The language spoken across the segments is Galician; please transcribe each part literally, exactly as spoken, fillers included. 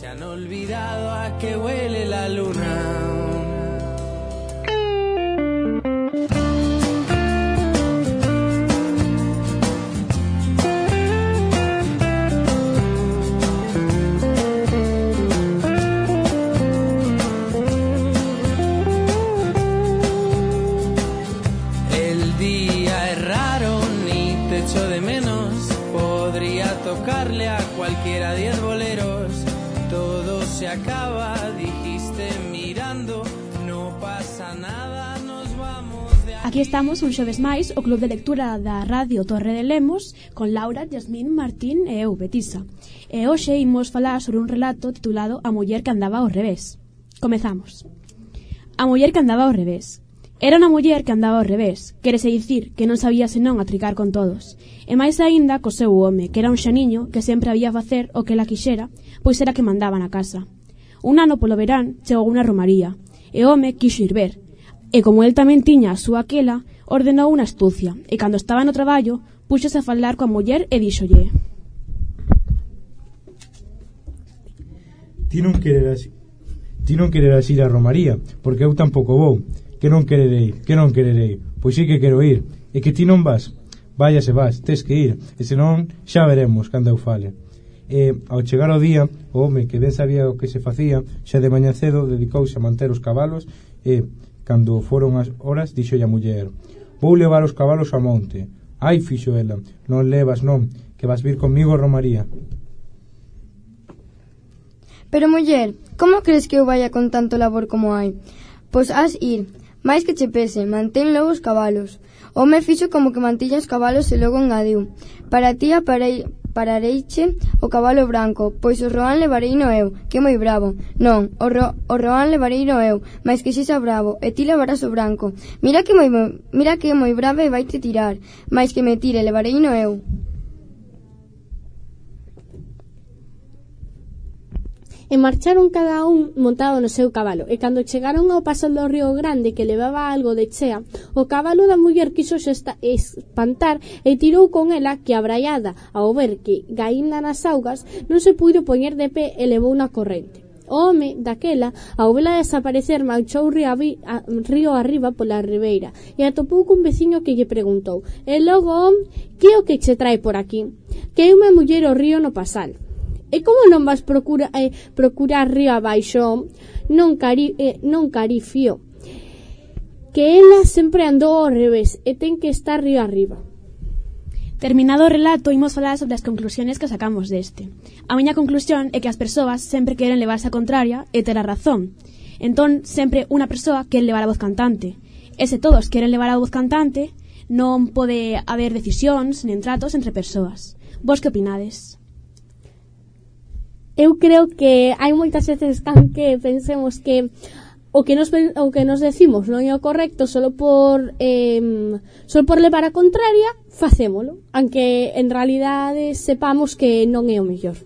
Se han olvidado a que huele la luna. El día es raro, ni te echo de menos. Podría tocarle a cualquiera diez boleros. Todo se acaba, dijiste mirando, no pasa nada, nos vamos de aquí. Aquí estamos un xoves máis, o Club de Lectura da Radio Torre de Lemos, con Laura, Yasmín, Martín e eu, Betisa. E hoxe imos falar sobre un relato titulado A muller que andaba ao revés. Comezamos. A muller que andaba ao revés. Era unha muller que andaba ao revés, quérese dicir que non sabía senón atricar con todos. E máis aínda co seu home, que era un xaniño que sempre había facer o que ela quixera, pois era que mandaba na casa. Un ano polo verán chegou unha romaría, e o home quixo ir ver, e como el tamén tiña a súa aquela, ordenou unha astucia, e cando estaba no traballo, puxose a falar coa muller e díxolle: Ti non quereras, ti non quereras ir á romaría, porque eu tampouco vou. Que non quererei, que non quererei. Pois sí que quero ir. E que ti non vas? Vaya se vas, tes que ir. E senón xa veremos cando eu fale. E ao chegar o día, o home que ben sabía o que se facía, xa de mañá cedo dedicouse a manter os cabalos e, cando foron as horas, dixolle a muller: Vou levar os cabalos ao monte. Ai, fixo ela, non levas non, que vas vir comigo a romaría. Pero muller, como crees que eu vaya con tanto labor como hai? Pois has ir. Mais que che pese, mantén logo os cabalos. O home fixo como que mantiña os cabalos e logo engadiu: Para ti aparei, parareiche o cabalo branco, pois o roán levareino eu, que é moi bravo. Non, o, ro, o roán levareino eu, mais que sexa bravo, e ti levarás o branco. Mira que moi, mira que é moi bravo e vaite tirar, mais que me tire, levareino eu. E marcharon cada un montado no seu cabalo, e cando chegaron ao paso do río Grande que levaba algo de chea, o cabalo da muller quiso esta, espantar e tirou con ela que abraiada, ao ver que gaínda nas augas, non se puido poñer de pé e levou na corrente. O home, daquela, ao vela desaparecer, marchou río, a, río arriba pola ribeira e atopou cun veciño que lle preguntou: E logo, que é o que che trae por aquí? Que é unha muller ao río no pasal. E como non vas procura, eh, procurar río abaixo? Non, cari, eh, non carifio, que ela sempre andou ao revés e ten que estar río arriba. Terminado o relato, imos falar sobre as conclusiones que sacamos deste. A miña conclusión é que as persoas sempre queren levarse a contraria e ter a razón. Entón, sempre unha persoa quere levar a voz cantante. E se todos queren levar a voz cantante, non pode haber decisións nen tratos entre persoas. Vos que opinades? Eu creo que hai moitas veces que pensemos que o que nos o que nos decimos non é o correcto solo por eh, solo por levar a contraria, facémolo, aunque en realidade sepamos que non é o mellor.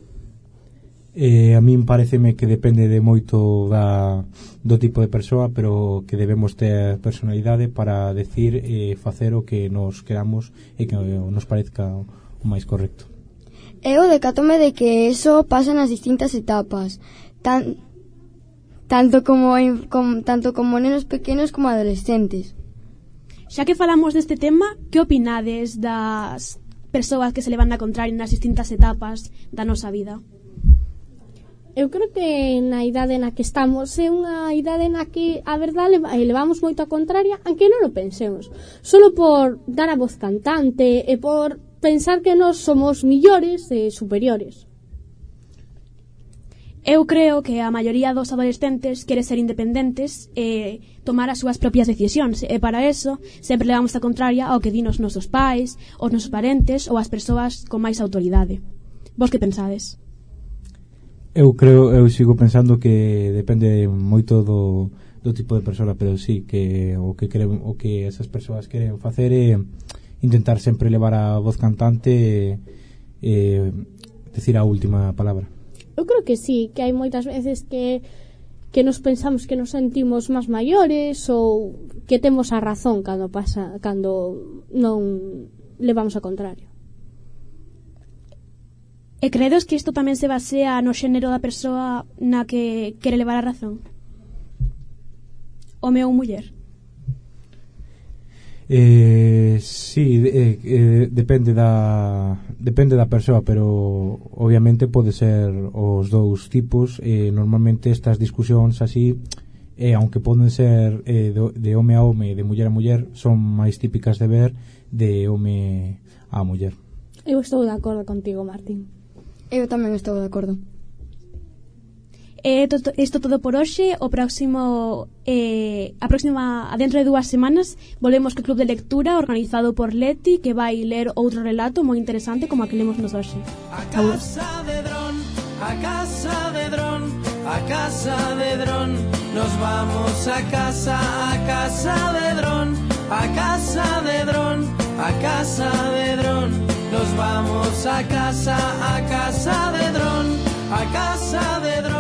Eh, a min pareceme que depende de moito da, do tipo de persoa, pero que debemos ter personalidade para decir e eh, facer o que nos queramos e que nos parezca o máis correcto. Eu decátome de que eso pasa nas distintas etapas, tan, tanto como en, com, tanto como nenos pequenos como adolescentes. Xa que falamos deste tema, que opinades das persoas que se levan a contraria nas distintas etapas da nosa vida? Eu creo que na idade na que estamos é unha idade na que a verdade levamos moito a contraria, aunque non o pensemos, solo por dar a voz cantante e por pensar que nós somos millores e superiores. Eu creo que a maioría dos adolescentes quere ser independentes e tomar as súas propias decisións, e para eso sempre levamos a contraria ao que din os nosos pais, os nosos parentes ou as persoas con máis autoridade. Vos que pensades? Eu creo, eu sigo pensando que depende moito do, do tipo de persoa, pero sí, que o que queren, o que esas persoas queren facer é intentar sempre levar a voz cantante e, e decir a última palabra. Eu creo que sí, que hai moitas veces que que nos pensamos que nos sentimos máis maiores ou que temos a razón cando pasa cando non levamos a contrario. E credes que isto tamén se basea no xénero da persoa na que quere levar a razón? Home ou muller? Eh, sí, eh, eh, depende da depende da persoa, pero obviamente pode ser os dous tipos. Eh, normalmente estas discusións así, eh, aunque poden ser eh, de, de home a home, de muller a muller, son máis típicas de ver de home a muller. Eu estou de acordo contigo, Martín. Eu tamén estou de acordo. Eh, to, isto todo por hoxe. O próximo eh, a próxima, a dentro de dúas semanas volvemos co club de lectura organizado por Leti, que vai ler outro relato moi interesante como a que lemos nos hoxe. A casa de dron, a casa de dron, a casa de dron, nos vamos a casa, a casa de dron, a casa de dron, a casa de dron, nos vamos a casa, a casa de dron, a casa de dron.